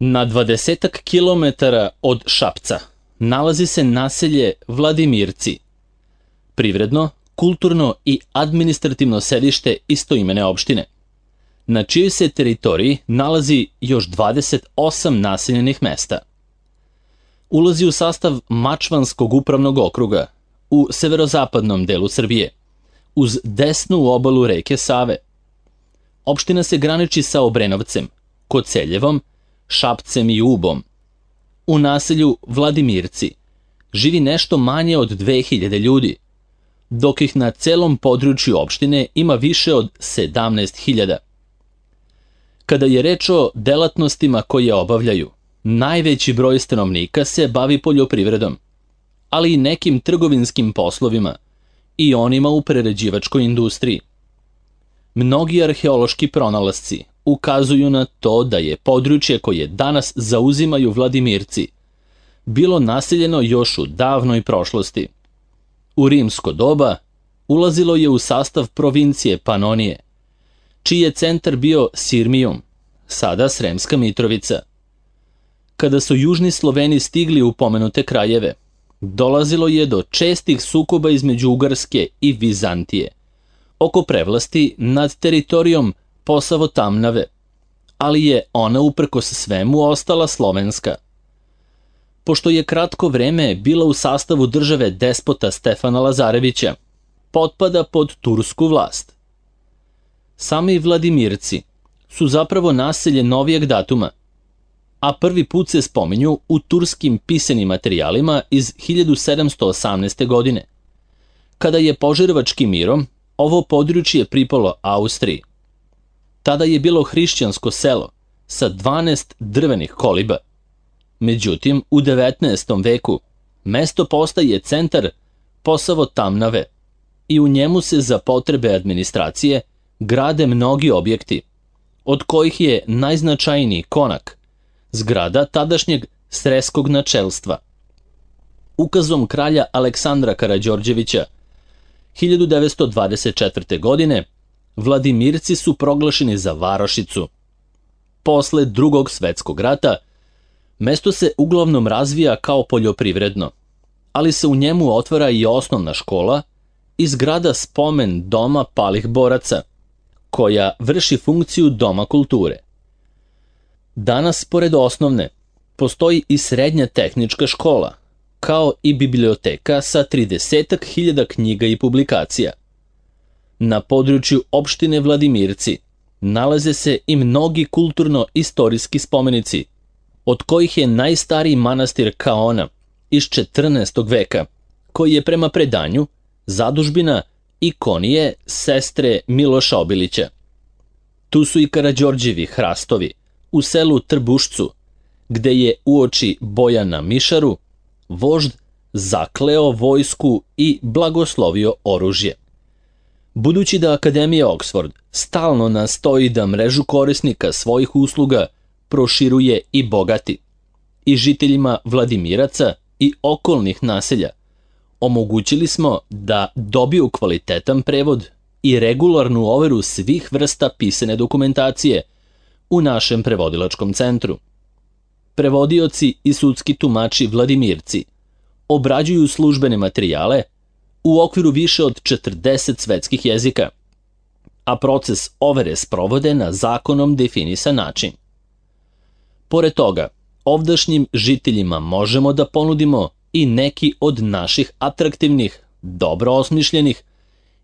Na 20 kilometara od Šapca nalazi se naselje Vladimirci, privredno, kulturno i administrativno sedište istoimene opštine, na čijoj se teritoriji nalazi još 28 naseljenih mesta. Ulazi u sastav Mačvanskog upravnog okruga u severozapadnom delu Srbije, uz desnu obalu reke Save. Opština se graniči sa Obrenovcem, Koceljevom, Šapcem i Ubom. U naselju Vladimirci živi nešto manje od 2000 ljudi, dok ih na celom području opštine ima više od 17.000. Kada je reč o delatnostima koje obavljaju, najveći broj stanovnika se bavi poljoprivredom, ali i nekim trgovinskim poslovima i onima u prerađivačkoj industriji. Mnogi arheološki pronalasci ukazuju na to da je područje koje danas zauzimaju Vladimirci bilo naseljeno još u davnoj prošlosti. U rimsko doba ulazilo je u sastav provincije Panonije, čiji je centar bio Sirmijum, sada Sremska Mitrovica. Kada su južni Sloveni stigli u pomenute krajeve, dolazilo je do čestih sukoba između Ugarske i Vizantije oko prevlasti nad teritorijom Posavo-Tamnave, ali je ona uprkos svemu ostala slovenska. Pošto je kratko vreme bila u sastavu države despota Stefana Lazarevića, potpada pod tursku vlast. Sami Vladimirci su zapravo naselje novijeg datuma, a prvi put se spominju u turskim pisanim materijalima iz 1718. godine, kada je Požarevačkim mirom ovo područje pripalo Austriji. Tada je bilo hrišćansko selo sa 12 drvenih koliba. Međutim, u 19. veku mesto postaje centar Posavo-Tamnave i u njemu se za potrebe administracije grade mnogi objekti, od kojih je najznačajniji Konak, zgrada tadašnjeg sreskog načelstva. Ukazom kralja Aleksandra Karađorđevića 1924. godine Vladimirci su proglašeni za varošicu. Posle Drugog svetskog rata mesto se uglavnom razvija kao poljoprivredno, ali se u njemu otvara i osnovna škola i zgrada spomen doma palih boraca, koja vrši funkciju doma kulture. Danas, pored osnovne, postoji i srednja tehnička škola, kao i biblioteka sa 30.000 knjiga i publikacija. Na području opštine Vladimirci nalaze se i mnogi kulturno-istorijski spomenici, od kojih je najstariji manastir Kaona iz 14. veka, koji je prema predanju zadužbina ikonije sestre Miloša Obilića. Tu su i Karađorđevi hrastovi u selu Trbušcu, gde je uoči boja na Mišaru vožd zakleo vojsku i blagoslovio oružje. Budući da Akademija Oxford stalno nastoji da mrežu korisnika svojih usluga proširuje i bogati, i žiteljima Vladimiraca i okolnih naselja omogućili smo da dobiju kvalitetan prevod i regularnu overu svih vrsta pisane dokumentacije u našem prevodilačkom centru. Prevodioci i sudski tumači Vladimirci obrađuju službene materijale u okviru više od 40 svetskih jezika, a proces overe sprovode na zakonom definisan način. Pored toga, ovdašnjim žiteljima možemo da ponudimo i neki od naših atraktivnih, dobro osmišljenih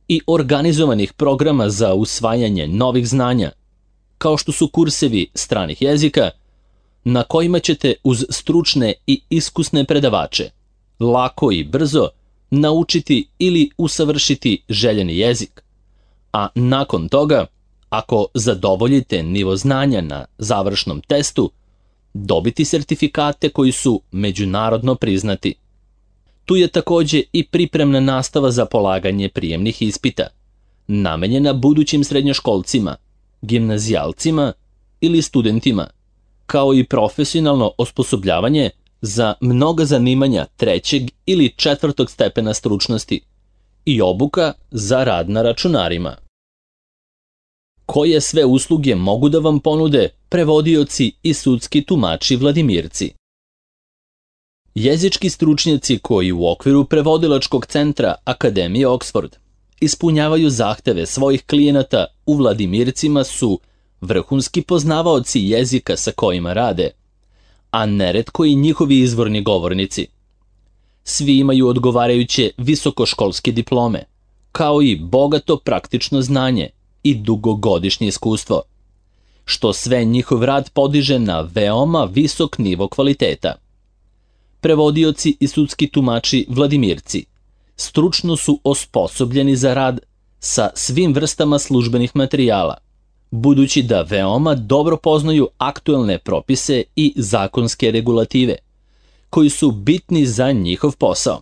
i organizovanih programa za usvajanje novih znanja, kao što su kursevi stranih jezika, na kojima ćete uz stručne i iskusne predavače lako i brzo naučiti ili usavršiti željeni jezik, a nakon toga, ako zadovoljite nivo znanja na završnom testu, dobiti sertifikate koji su međunarodno priznati. Tu je takođe i pripremna nastava za polaganje prijemnih ispita, namenjena budućim srednjoškolcima, gimnazijalcima ili studentima, kao i profesionalno osposobljavanje za mnoga zanimanja 3. ili 4. stepena stručnosti i obuka za rad na računarima. Koje sve usluge mogu da vam ponude prevodioci i sudski tumači Vladimirci. Jezički stručnjaci koji u okviru prevodilačkog centra Akademije Oxford ispunjavaju zahteve svojih klijenata u Vladimircima su vrhunski poznavaoci jezika sa kojima rade, a neretko i njihovi izvorni govornici. Svi imaju odgovarajuće visokoškolske diplome, kao i bogato praktično znanje i dugogodišnje iskustvo, što sve njihov rad podiže na veoma visok nivo kvaliteta. Prevodioci i sudski tumači Vladimirci stručno su osposobljeni za rad sa svim vrstama službenih materijala, budući da veoma dobro poznaju aktuelne propise i zakonske regulative, koji su bitni za njihov posao,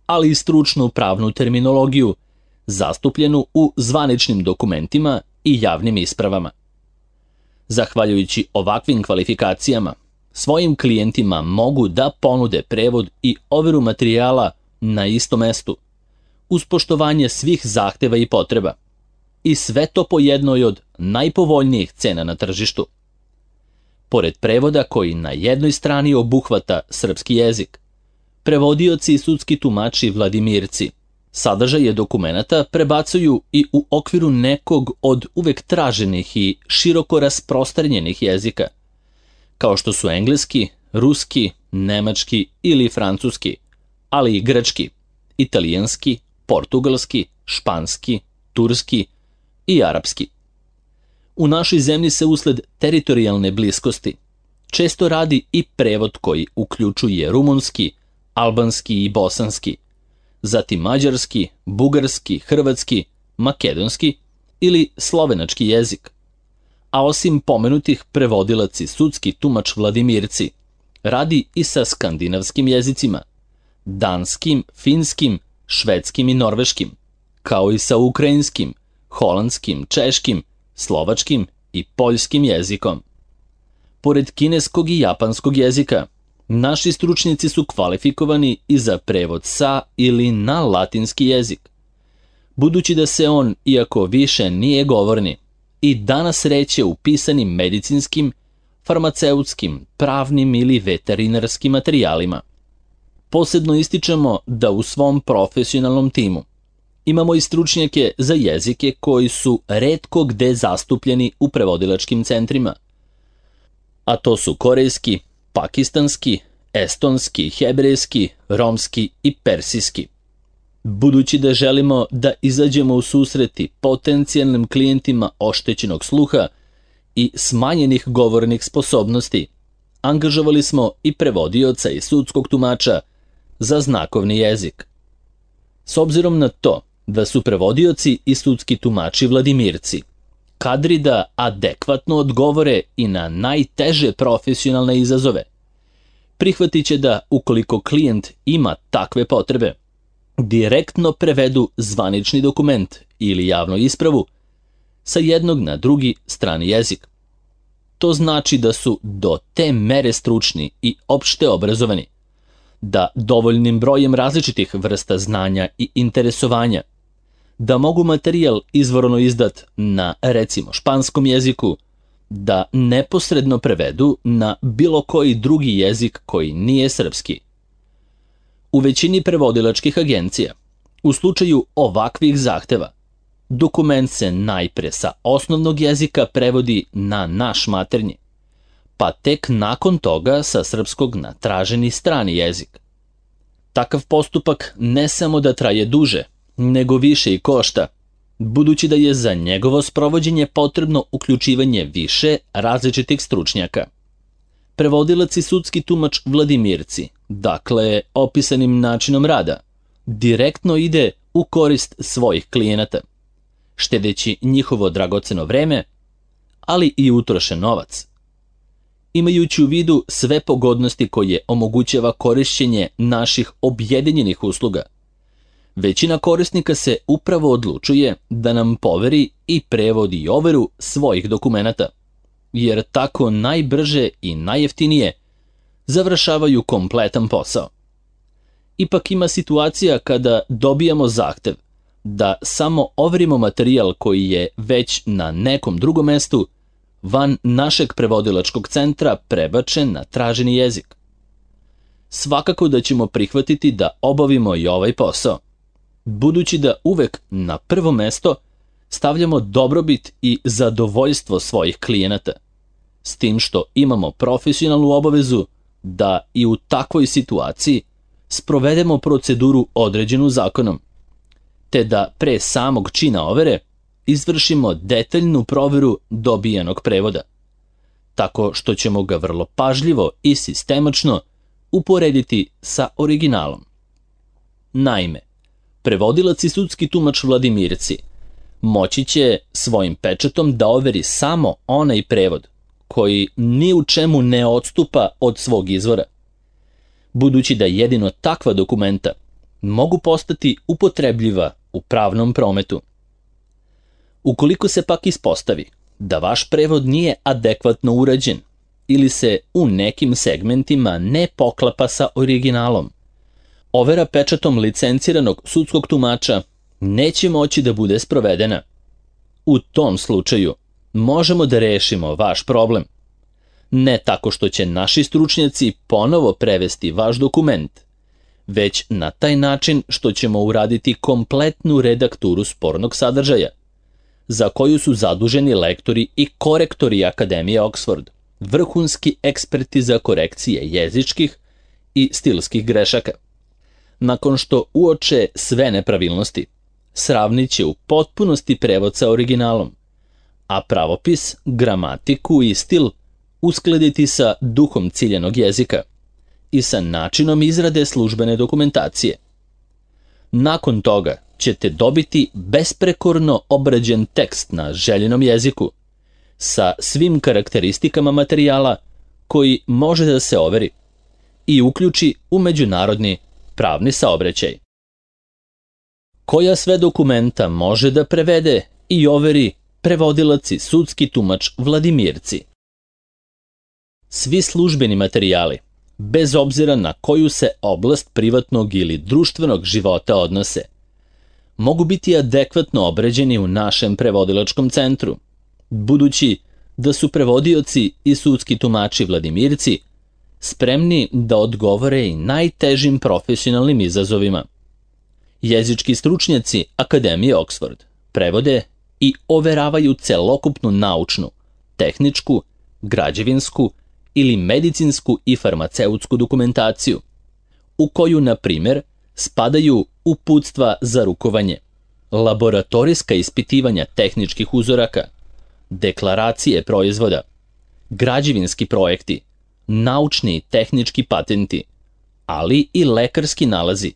ali i stručnu pravnu terminologiju, zastupljenu u zvaničnim dokumentima i javnim ispravama. Zahvaljujući ovakvim kvalifikacijama, svojim klijentima mogu da ponude prevod i overu materijala na istom mestu, uz poštovanje svih zahteva i potreba, i sve to po jednoj od najpovoljnijih cena na tržištu. Pored prevoda koji na jednoj strani obuhvata srpski jezik, prevodioci i sudski tumači Vladimirci sadržaje dokumenata prebacuju i u okviru nekog od uvek traženih i široko rasprostranjenih jezika, kao što su engleski, ruski, nemački ili francuski, ali i grčki, italijanski, portugalski, španski, turski i arapski. U našoj zemlji se usled teritorijalne bliskosti često radi i prevod koji uključuje rumunski, albanski i bosanski, zatim mađarski, bugarski, hrvatski, makedonski ili slovenački jezik. A osim pomenutih, prevodilac i sudski tumač Vladimirci radi i sa skandinavskim jezicima, danskim, finskim, švedskim i norveškim, kao i sa ukrajinskim, holandskim, češkim, slovačkim i poljskim jezikom. Pored kineskog i japanskog jezika, naši stručnjaci su kvalifikovani i za prevod sa ili na latinski jezik, budući da se on, iako više nije govorni, i danas reče u pisanim medicinskim, farmaceutskim, pravnim ili veterinarskim materijalima. Posebno ističemo da u svom profesionalnom timu imamo i stručnjake za jezike koji su retko gde zastupljeni u prevodilačkim centrima, a to su korejski, pakistanski, estonski, hebrejski, romski i persijski. Budući da želimo da izađemo u susreti potencijalnim klijentima oštećenog sluha i smanjenih govornih sposobnosti, angažovali smo i prevodioca i sudskog tumača za znakovni jezik. S obzirom na to da su prevodioci i sudski tumači Vladimirci kadri da adekvatno odgovore i na najteže profesionalne izazove, prihvatit će da, ukoliko klijent ima takve potrebe, direktno prevedu zvanični dokument ili javnu ispravu sa jednog na drugi strani jezik. To znači da su do te mere stručni i opšte obrazovani, da dovoljnim brojem različitih vrsta znanja i interesovanja, da mogu materijal izvorno izdat na, recimo, španskom jeziku, da neposredno prevedu na bilo koji drugi jezik koji nije srpski. U većini prevodilačkih agencija, u slučaju ovakvih zahteva, dokument se najpre sa osnovnog jezika prevodi na naš maternji, pa tek nakon toga sa srpskog na traženi strani jezik. Takav postupak ne samo da traje duže, nego više i košta, budući da je za njegovo sprovođenje potrebno uključivanje više različitih stručnjaka. Prevodilac i sudski tumač Vladimirci, dakle opisanim načinom rada, direktno ide u korist svojih klijenata, štedeći njihovo dragoceno vreme, ali i utrošen novac. Imajući u vidu sve pogodnosti koje omogućava korišćenje naših objedinjenih usluga, većina korisnika se upravo odlučuje da nam poveri i prevodi i overu svojih dokumenata, jer tako najbrže i najjeftinije završavaju kompletan posao. Ipak ima situacija kada dobijamo zahtev da samo overimo materijal koji je već na nekom drugom mestu, van našeg prevodilačkog centra prebačen na traženi jezik. Svakako da ćemo prihvatiti da obavimo i ovaj posao, budući da uvek na prvo mesto stavljamo dobrobit i zadovoljstvo svojih klijenata, s tim što imamo profesionalnu obavezu da i u takvoj situaciji sprovedemo proceduru određenu zakonom, te da pre samog čina overe izvršimo detaljnu proveru dobijenog prevoda, tako što ćemo ga vrlo pažljivo i sistemačno uporediti sa originalom. Naime, prevodilac i sudski tumač Vladimirci moći će svojim pečatom da overi samo onaj prevod koji ni u čemu ne odstupa od svog izvora, budući da jedino takva dokumenta mogu postati upotrebljiva u pravnom prometu. Ukoliko se pak ispostavi da vaš prevod nije adekvatno urađen ili se u nekim segmentima ne poklapa sa originalom, overa pečatom licenciranog sudskog tumača neće moći da bude sprovedena. U tom slučaju možemo da rešimo vaš problem, ne tako što će naši stručnjaci ponovo prevesti vaš dokument, već na taj način što ćemo uraditi kompletnu redakturu spornog sadržaja, za koju su zaduženi lektori i korektori Akademije Oxford, vrhunski eksperti za korekcije jezičkih i stilskih grešaka. Nakon što uoče sve nepravilnosti, sravnit će u potpunosti prevod sa originalom, a pravopis, gramatiku i stil uskladiti sa duhom ciljenog jezika i sa načinom izrade službene dokumentacije. Nakon toga ćete dobiti besprekorno obrađen tekst na željenom jeziku sa svim karakteristikama materijala koji može da se overi i uključi u međunarodni pravni saobraćaj. Koja sve dokumenta može da prevede i overi prevodilac i sudski tumač Vladimirci? Svi službeni materijali, bez obzira na koju se oblast privatnog ili društvenog života odnose, mogu biti adekvatno obrađeni u našem prevodilačkom centru, budući da su prevodioci i sudski tumači Vladimirci spremni da odgovore i najtežim profesionalnim izazovima. Jezički stručnjaci Akademije Oxford prevode i overavaju celokupnu naučnu, tehničku, građevinsku ili medicinsku i farmaceutsku dokumentaciju, u koju, na primjer, spadaju uputstva za rukovanje, laboratorijska ispitivanja tehničkih uzoraka, deklaracije proizvoda, građevinski projekti, naučni i tehnički patenti, ali i lekarski nalazi,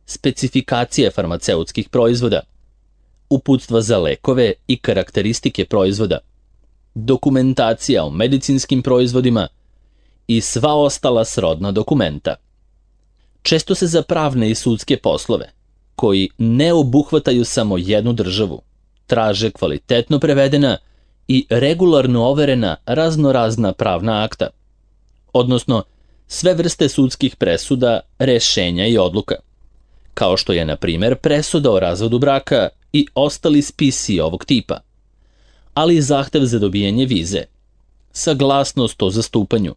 specifikacije farmaceutskih proizvoda, uputstva za lekove i karakteristike proizvoda, dokumentacija o medicinskim proizvodima i sva ostala srodna dokumenta. Često se za pravne i sudske poslove, koji ne obuhvataju samo jednu državu, traže kvalitetno prevedena i regularno overena raznorazna pravna akta, odnosno sve vrste sudskih presuda, rešenja i odluka, kao što je, na primjer, presuda o razvodu braka i ostali spisi ovog tipa, ali i zahtev za dobijanje vize, saglasnost o zastupanju,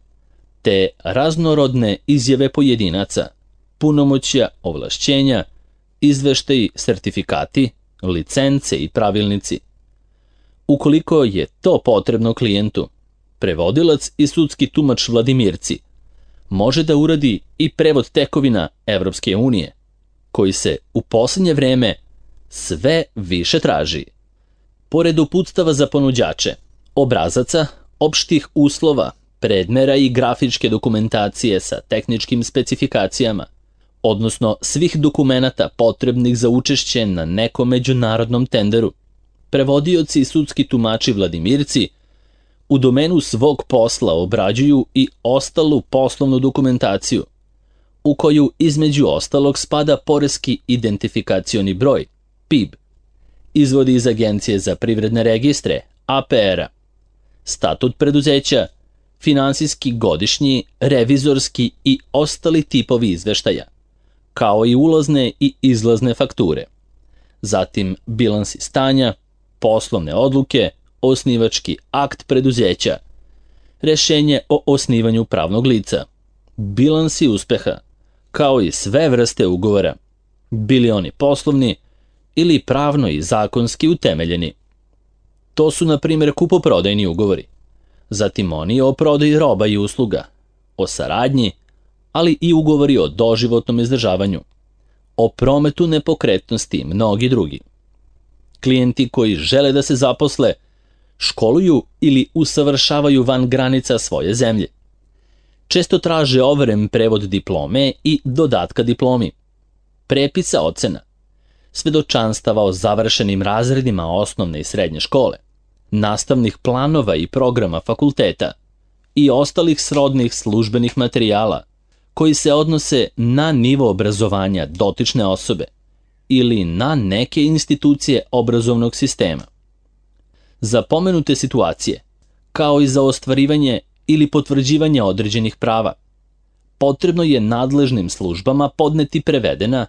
te raznorodne izjave pojedinaca, punomoćja, ovlašćenja, izveštaji, sertifikati, licence i pravilnici. Ukoliko je to potrebno klijentu, prevodilac i sudski tumač Vladimirci može da uradi i prevod tekovina Evropske unije, koji se u posljednje vreme sve više traži. Pored uputstava za ponuđače, obrazaca, opštih uslova, predmera i grafičke dokumentacije sa tehničkim specifikacijama, odnosno svih dokumenata potrebnih za učešće na nekom međunarodnom tenderu, prevodioci i sudski tumači Vladimirci u domenu svog posla obrađuju i ostalu poslovnu dokumentaciju, u koju između ostalog spada poreski identifikacioni broj, PIB, izvodi iz Agencije za privredne registre, APR-a, statut preduzeća, finansijski godišnji, revizorski i ostali tipovi izveštaja, kao i ulazne i izlazne fakture, zatim bilansi stanja, poslovne odluke, osnivački akt preduzeća, rješenje o osnivanju pravnog lica, bilansi uspeha, kao i sve vrste ugovora, bili oni poslovni ili pravno i zakonski utemeljeni. To su, na primjer, kupoprodajni ugovori, zatim oni o prodaji roba i usluga, o saradnji, ali i ugovori o doživotnom izdržavanju, o prometu nepokretnosti i mnogi drugi. Klijenti koji žele da se zaposle, školuju ili usavršavaju van granica svoje zemlje. Često traže overen prevod diplome i dodatka diplomi, prepisa ocena, svedočanstava o završenim razredima osnovne i srednje škole, nastavnih planova i programa fakulteta i ostalih srodnih službenih materijala koji se odnose na nivo obrazovanja dotične osobe ili na neke institucije obrazovnog sistema. Za pomenute situacije, kao i za ostvarivanje ili potvrđivanje određenih prava, potrebno je nadležnim službama podneti prevedena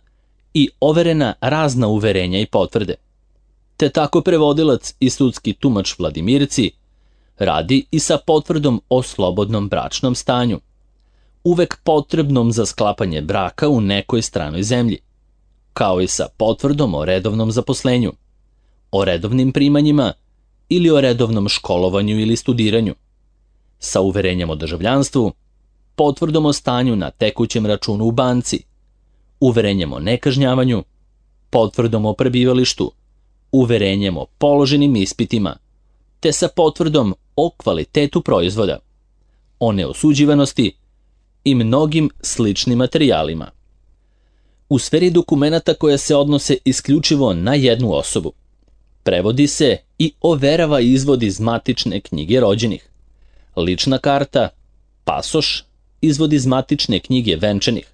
i overena razna uverenja i potvrde. Te tako prevodilac i sudski tumač Vladimirci radi i sa potvrdom o slobodnom bračnom stanju, uvek potrebnom za sklapanje braka u nekoj stranoj zemlji, kao i sa potvrdom o redovnom zaposlenju, o redovnim primanjima ili o redovnom školovanju ili studiranju, sa uverenjem o državljanstvu, potvrdom o stanju na tekućem računu u banci, uverenjem o nekažnjavanju, potvrdom o prebivalištu, uverenjem o položenim ispitima, te sa potvrdom o kvalitetu proizvoda, o neosuđivanosti i mnogim sličnim materijalima. U sferi dokumenata koja se odnose isključivo na jednu osobu, prevodi se i overava izvod iz matične knjige rođenih, lična karta, pasoš, izvod iz matične knjige venčanih,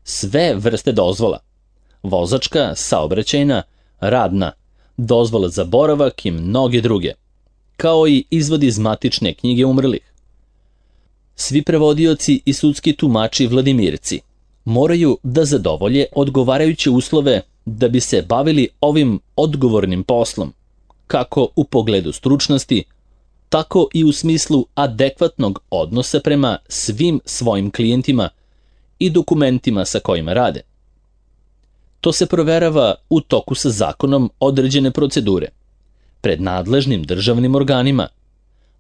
sve vrste dozvola, vozačka, saobraćajna, radna, dozvola za boravak i mnoge druge, kao i izvod iz matične knjige umrlih. Svi prevodioci i sudski tumači Vladimirci moraju da zadovolje odgovarajuće uslove da bi se bavili ovim odgovornim poslom, kako u pogledu stručnosti, tako i u smislu adekvatnog odnosa prema svim svojim klijentima i dokumentima sa kojima rade. To se proverava u toku sa zakonom određene procedure, pred nadležnim državnim organima,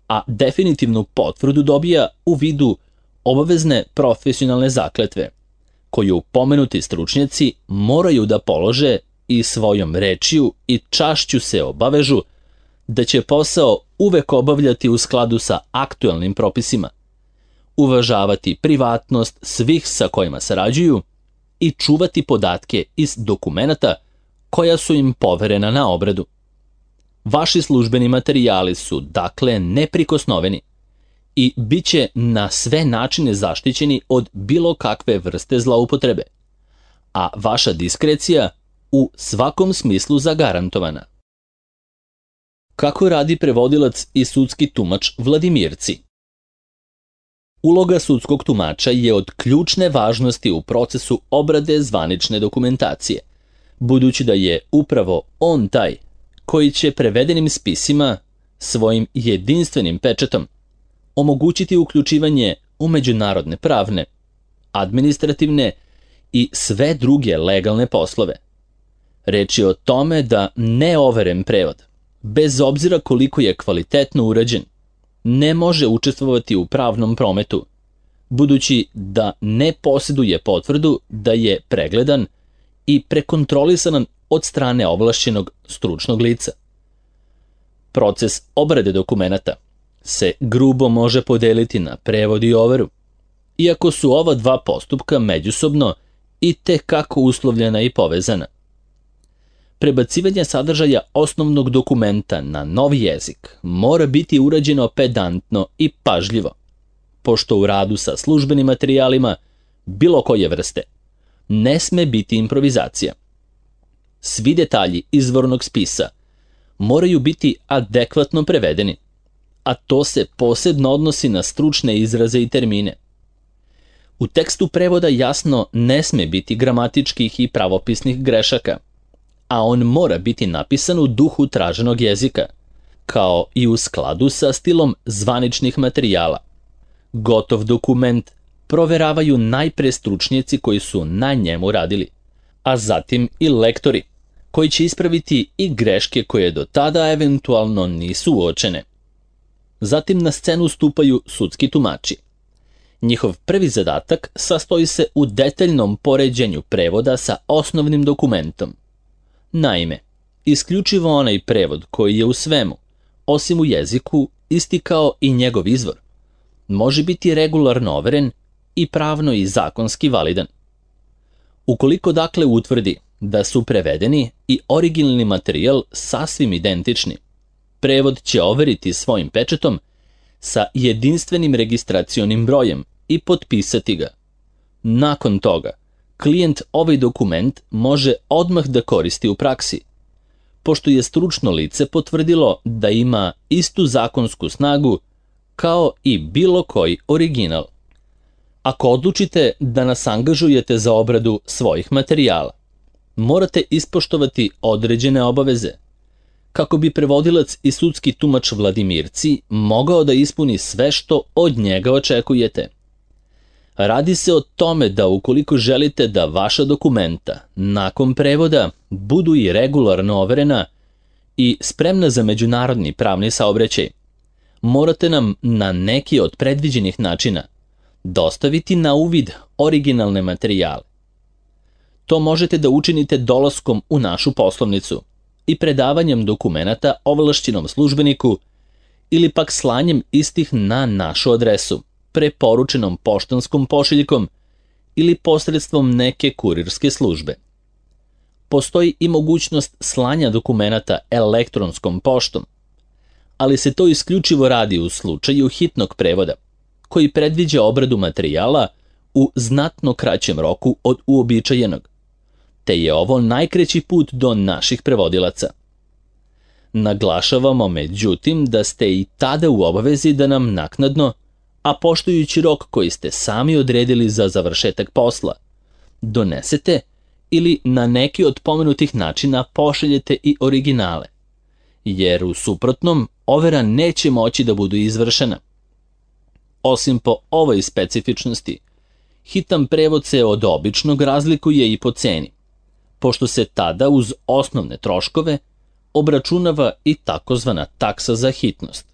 a definitivnu potvrdu dobija u vidu obavezne profesionalne zakletve, koju pomenuti stručnjaci moraju da polože i svojom rečju i čašću se obavežu da će posao uvek obavljati u skladu sa aktuelnim propisima, uvažavati privatnost svih sa kojima sarađuju i čuvati podatke iz dokumenata koja su im poverena na obradu. Vaši službeni materijali su dakle neprikosnoveni i bit će na sve načine zaštićeni od bilo kakve vrste zloupotrebe, a vaša diskrecija u svakom smislu zagarantovana. Kako radi prevodilac i sudski tumač Vladimirci? Uloga sudskog tumača je od ključne važnosti u procesu obrade zvanične dokumentacije, budući da je upravo on taj koji će prevedenim spisima svojim jedinstvenim pečatom omogućiti uključivanje u međunarodne pravne, administrativne i sve druge legalne poslove. Reč je o tome da neoveren prevod, bez obzira koliko je kvalitetno urađen, ne može učestvovati u pravnom prometu, budući da ne posjeduje potvrdu da je pregledan i prekontrolisan od strane ovlašćenog stručnog lica. Proces obrade dokumenata se grubo može podeliti na prevod i overu, iako su ova dva postupka međusobno i tekako uslovljena i povezana. Prebacivanje sadržaja osnovnog dokumenta na novi jezik mora biti urađeno pedantno i pažljivo, pošto u radu sa službenim materijalima bilo koje vrste ne sme biti improvizacija. Svi detalji izvornog spisa moraju biti adekvatno prevedeni, a to se posebno odnosi na stručne izraze i termine. U tekstu prevoda jasno ne sme biti gramatičkih i pravopisnih grešaka, a on mora biti napisan u duhu traženog jezika, kao i u skladu sa stilom zvaničnih materijala. Gotov dokument proveravaju najpre stručnjaci koji su na njemu radili, a zatim i lektori, koji će ispraviti i greške koje do tada eventualno nisu uočene. Zatim na scenu stupaju sudski tumači. Njihov prvi zadatak sastoji se u detaljnom poređenju prevoda sa osnovnim dokumentom. Naime, isključivo onaj prevod koji je u svemu, osim u jeziku, isti kao i njegov izvor, može biti regularno overen i pravno i zakonski validan. Ukoliko dakle utvrdi da su prevedeni i originalni materijal sasvim identični, prevod će overiti svojim pečatom sa jedinstvenim registracionim brojem i potpisati ga. Nakon toga, klijent ovaj dokument može odmah da koristi u praksi, pošto je stručno lice potvrdilo da ima istu zakonsku snagu kao i bilo koji original. Ako odlučite da nas angažujete za obradu svojih materijala, morate ispoštovati određene obaveze, kako bi prevodilac i sudski tumač Vladimirci mogao da ispuni sve što od njega očekujete. Radi se o tome da ukoliko želite da vaša dokumenta nakon prevoda budu i regularno overena i spremna za međunarodni pravni saobraćaj, morate nam na neki od predviđenih načina dostaviti na uvid originalne materijale. To možete da učinite dolaskom u našu poslovnicu i predavanjem dokumenata ovlašćenom službeniku ili pak slanjem istih na našu adresu, preporučenom poštanskom pošiljkom ili posredstvom neke kurirske službe. Postoji i mogućnost slanja dokumenata elektronskom poštom, ali se to isključivo radi u slučaju hitnog prevoda, koji predviđa obradu materijala u znatno kraćem roku od uobičajenog, te je ovo najkraći put do naših prevodilaca. Naglašavamo međutim da ste i tada u obavezi da nam naknadno, a poštujući rok koji ste sami odredili za završetak posla, donesete ili na neki od pomenutih načina pošaljete i originale, jer u suprotnom overa neće moći da budu izvršena. Osim po ovoj specifičnosti, hitan prevod se od običnog razlikuje i po ceni, pošto se tada uz osnovne troškove obračunava i takozvana taksa za hitnost.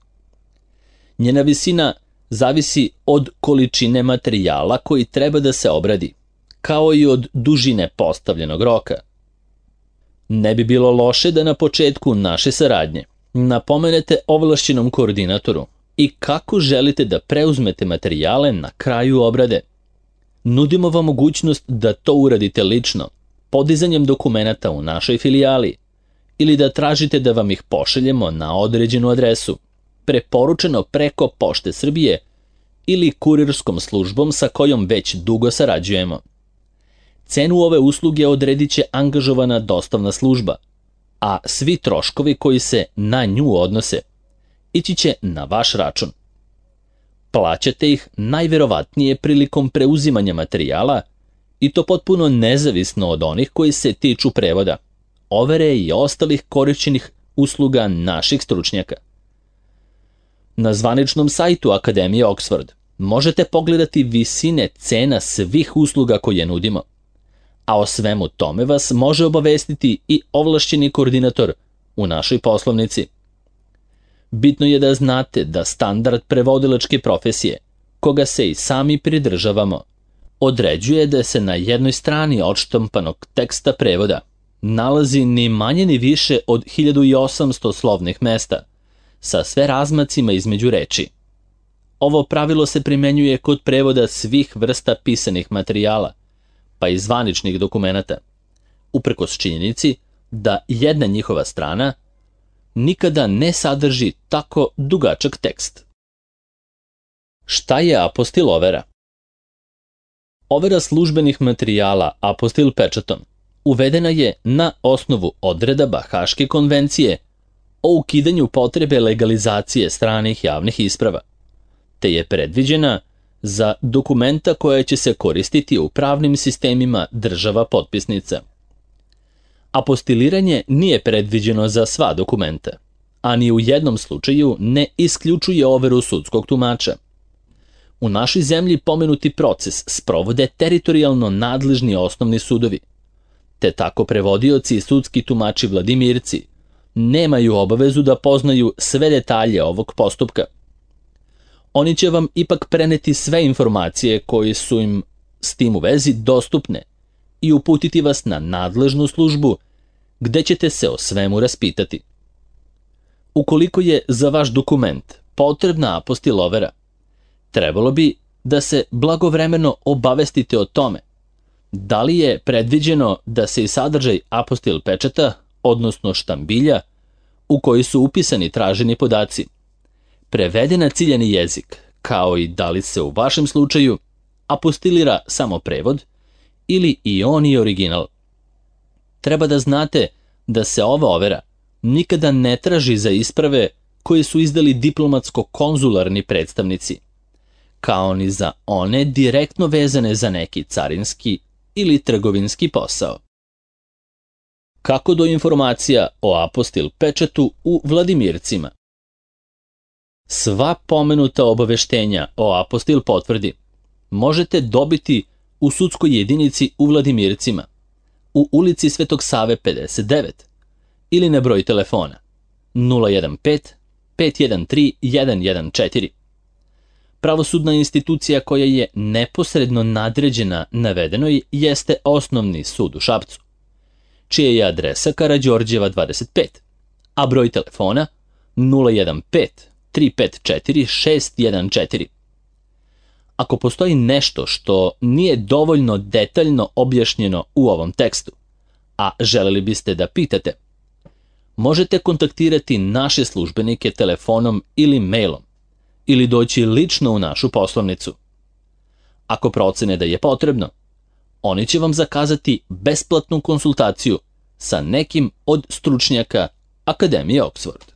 Njena visina zavisi od količine materijala koji treba da se obradi, kao i od dužine postavljenog roka. Ne bi bilo loše da na početku naše saradnje napomenete ovlašćenom koordinatoru i kako želite da preuzmete materijale na kraju obrade. Nudimo vam mogućnost da to uradite lično, podizanjem dokumenata u našoj filijali, ili da tražite da vam ih pošaljemo na određenu adresu, preporučeno preko Pošte Srbije ili kurirskom službom sa kojom već dugo sarađujemo. Cenu ove usluge odredit će angažovana dostavna služba, a svi troškovi koji se na nju odnose ići će na vaš račun. Plaćate ih najverovatnije prilikom preuzimanja materijala i to potpuno nezavisno od onih koji se tiču prevoda, overe i ostalih korišćenih usluga naših stručnjaka. Na zvaničnom sajtu Akademije Oxford možete pogledati visine cena svih usluga koje nudimo, a o svemu tome vas može obavestiti i ovlašćeni koordinator u našoj poslovnici. Bitno je da znate da standard prevodilačke profesije, koga se i sami pridržavamo, određuje da se na jednoj strani odštampanog teksta prevoda nalazi ni manje ni više od 1800 slovnih mesta, sa sve razmacima između reči. Ovo pravilo se primenjuje kod prevoda svih vrsta pisanih materijala, pa i zvaničnih dokumenata, uprkos činjenici da jedna njihova strana nikada ne sadrži tako dugačak tekst. Šta je apostil overa? Overa službenih materijala apostil pečatom uvedena je na osnovu odredaba Haške konvencije o ukidanju potrebe legalizacije stranih javnih isprava, te je predviđena za dokumenta koja će se koristiti u pravnim sistemima država potpisnica. Apostiliranje nije predviđeno za sva dokumenta, a ni u jednom slučaju ne isključuje overu sudskog tumača. U našoj zemlji pomenuti proces sprovode teritorijalno nadležni osnovni sudovi, te tako prevodioci i sudski tumači Vladimirci nemaju obavezu da poznaju sve detalje ovog postupka. Oni će vam ipak preneti sve informacije koje su im s tim u vezi dostupne i uputiti vas na nadležnu službu gde ćete se o svemu raspitati. Ukoliko je za vaš dokument potrebna apostil overa, trebalo bi da se blagovremeno obavestite o tome da li je predviđeno da se i sadržaj apostil pečata, odnosno štambilja, u koji su upisani traženi podaci, prevede na ciljani jezik, kao i da li se u vašem slučaju apostilira samo prevod ili i on i original. Treba da znate da se ova overa nikada ne traži za isprave koje su izdali diplomatsko-konzularni predstavnici, kao ni za one direktno vezane za neki carinski ili trgovinski posao. Kako do informacija o apostil pečatu u Vladimircima? Sva pomenuta obaveštenja o apostil potvrdi možete dobiti u sudskoj jedinici u Vladimircima, u ulici Svetog Save 59 ili na broj telefona 015 513 114. Pravosudna institucija koja je neposredno nadređena navedenoj jeste Osnovni sud u Šapcu, čija je adresa Karađorđeva 25, a broj telefona 015 354 614. Ako postoji nešto što nije dovoljno detaljno objašnjeno u ovom tekstu, a želeli biste da pitate, možete kontaktirati naše službenike telefonom ili mailom, ili doći lično u našu poslovnicu. Ako procene da je potrebno, oni će vam zakazati besplatnu konsultaciju sa nekim od stručnjaka Akademije Oxford.